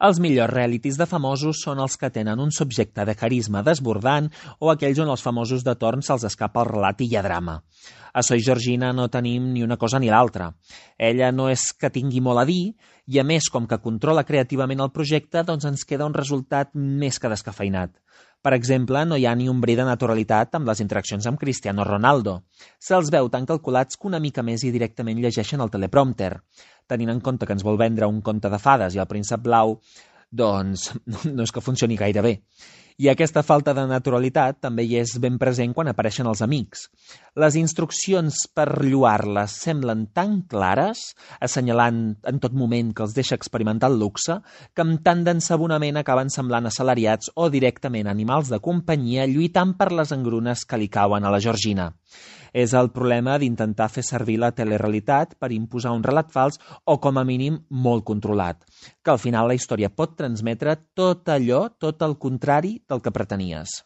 Els millors realities de famosos són els que tenen un subjecte de carisma desbordant o aquells on els famosos de torn se'ls escapa el relat i hi ha drama. A Soy Georgina no tenim ni una cosa ni l'altra. Ella no és que tingui molt a dir i, a més, com que controla creativament el projecte, doncs ens queda un resultat més que descafeinat. Per exemple, no hi ha ni un bri de naturalitat amb les interaccions amb Cristiano Ronaldo. Se'ls veu tan calculats que una mica més i directament llegeixen el teleprompter. Tenint en compte que ens vol vendre un conte de fades i el príncep blau, doncs no és que funcioni gaire bé. I aquesta falta de naturalitat també hi és ben present quan apareixen els amics. Les instruccions per lloar-les semblen tan clares, assenyalant en tot moment que els deixa experimentar el luxe, que amb tant d'ensabonament acaben semblant assalariats o directament animals de companyia lluitant per les engrunes que li cauen a la Georgina. És el problema d'intentar fer servir la telerealitat per imposar un relat fals o, com a mínim, molt controlat, que al final la història pot transmetre tot allò, tot el contrari del que pretenies.